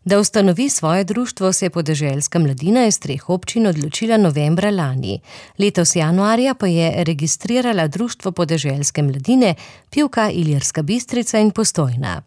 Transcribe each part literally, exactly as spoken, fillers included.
Da ustanovi svoje društvo, se je podeželska mladina iz treh občin odločila novembra lani. Letos januarja pa je registrirala Društvo podeželske mladine Pivka, Ilirska Bistrica in Postojna.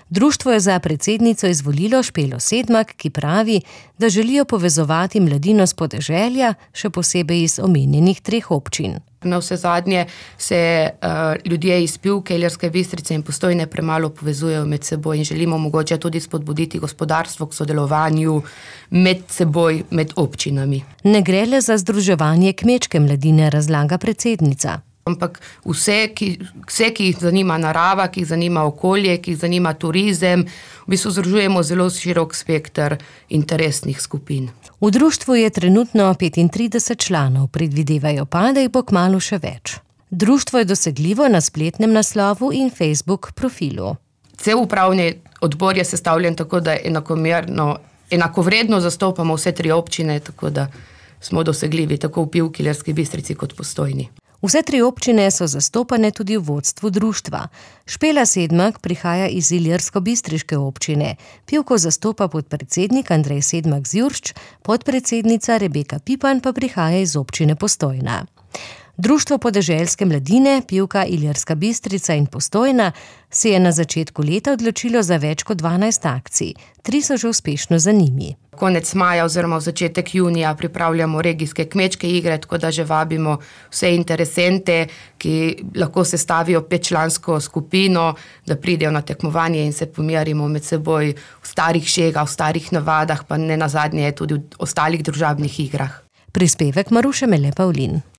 Društvo je za predsednico izvolilo Špelo Sedmak, ki pravi, da želijo povezovati mladino s podeželja, še posebej iz omenjenih treh občin. Navsezadnje se uh, ljudje iz Pivke, Ilirske Bistrice in Postojne premalo povezujejo med seboj in želimo mogoče tudi spodbuditi gospodarstvo k sodelovanju med seboj, med občinami. Ne gre le za združevanje kmečke mladine, razlaga predsednica. Ampak vse ki, vse, ki jih zanima narava, ki jih zanima okolje, ki jih zanima turizem, v bistvu združujemo zelo širok spekter interesnih skupin. V društvu je trenutno petintrideset članov, predvidevajo pa, da jih bo kmalu še več. Društvo je dosegljivo na spletnem naslovu in Facebook profilu. Cel upravni odbor je sestavljen tako, da enakomerno, enakovredno zastopamo vse tri občine, tako da smo dosegljivi tako v Pivki, Ilirski Bistrici kot Postojni. Vse tri občine so zastopane tudi v vodstvu društva. Špela Sedmak prihaja iz Ilirsko-bistriške občine. Pivko zastopa podpredsednik Andrej Sedmak-Zjuršč, podpredsednica Rebeka Pipan pa prihaja iz občine Postojna. Društvo podeželske mladine Pivka, Ilirska Bistrica in Postojna se je na začetku leta odločilo za več kot dvanajst akcij. Tri so že uspešno za njimi. Konec maja oziroma v začetek junija pripravljamo regijske kmečke igre, tako da že vabimo vse interesente, ki lahko sestavijo petčlansko skupino, da pridejo na tekmovanje in se pomerimo med seboj v starih šegah, v starih navadah, pa ne nazadnje tudi v ostalih družabnih igrah. Prispevek Maruše Mele Pavlin.